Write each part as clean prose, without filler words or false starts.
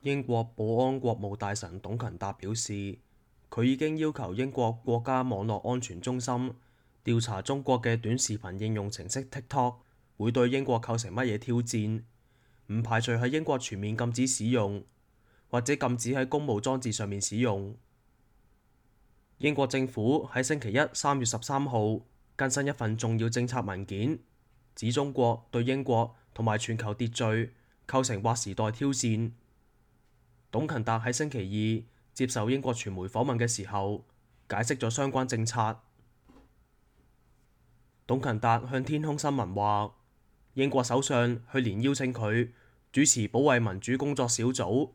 英國保安國務大臣董勤達表示，佢已經要求英國國家網絡安全中心調查中國嘅短視頻應用程式 TikTok 會對英國構成乜嘢挑戰，唔排除喺英國全面禁止使用，或者禁止喺公務裝置上面使用。英國政府喺星期一3月13號更新一份重要政策文件，指中國對英國同埋全球秩序構成劃時代挑戰。董勤達喺星期二接受英國傳媒訪問嘅時候，解釋咗相關政策。董勤達向天空新聞話，英國首相去年邀請佢主持保衛民主工作小組，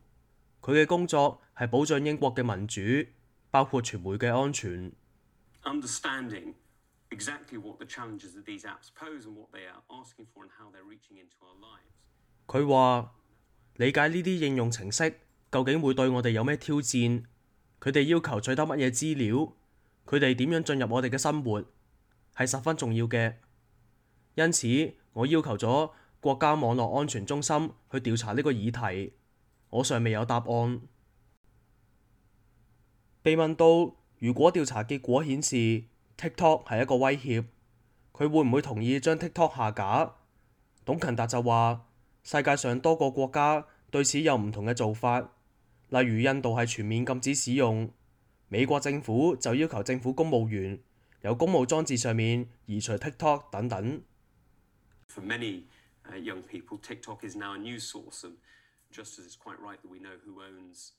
佢嘅工作係保障英國嘅民主，包括傳媒嘅安全。佢話理解呢啲應用程式究竟會對我哋有咩挑戰，佢哋要求取得乜嘢資料，佢哋點樣進入我哋嘅生活，係十分重要嘅。因此，我要求咗國家網絡安全中心去調查呢個議題，我尚未有答案。被問到如果調查結果顯示 TikTok 係一個威脅，佢會唔會同意將 TikTok 下架？董勤達就話，世界上多個國家對此有唔同嘅做法，例如印度係全面禁止使用，美國政府就要求政府公務員由公務裝置上面移除 TikTok 等等。For many young people, TikTok is now a news source, and just as it's quite right that we know who owns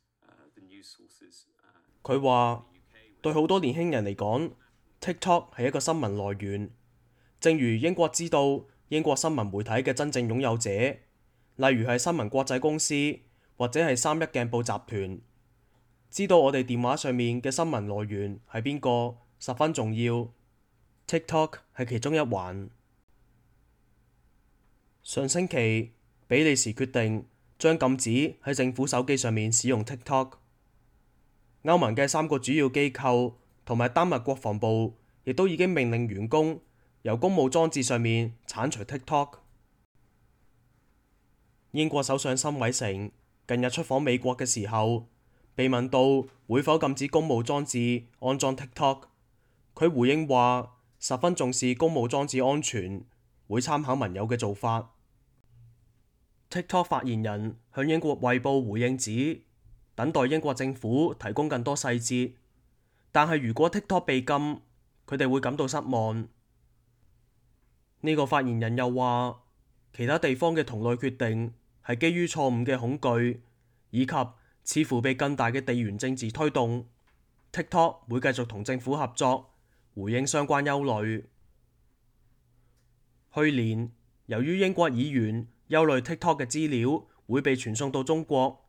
the news sources. 佢話對好多年輕人嚟講，TikTok 係一個新聞來源，正如英國知道英國新聞媒體嘅真正擁有者，例如係新聞國際公司或者係三一鏡報集團，知道我哋電話上面嘅新聞來源係邊個，十分重要。TikTok 係其中一環。上星期，比利時決定將禁止喺政府手機上面使用 TikTok。歐盟嘅3個主要機構同埋丹麥國防部亦都已經命令員工由公務裝置上面剷除 TikTok。英國首相辛偉誠近日出訪美國嘅時候，被問到會否禁止公務裝置安裝 TikTok， 佢回應話十分重視公務裝置安全，會參考盟友嘅做法。TikTok 發言人向英國衛報回應指，等待英國政府提供更多細節，但係如果 TikTok 被禁，佢哋會感到失望。呢個發言人又話，其他地方嘅同類決定係基於錯誤嘅恐懼，以及似乎被更大嘅地緣政治推動。TikTok 會繼續同政府合作，回應相關憂慮。去年，由於英國議員憂慮 TikTok 嘅資料會被傳送到中國，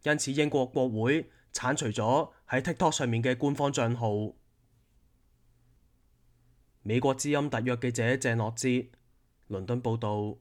因此英國國會剷除咗喺 TikTok 上面嘅官方帳號。美國之音特約記者鄭樂哲，倫敦報導。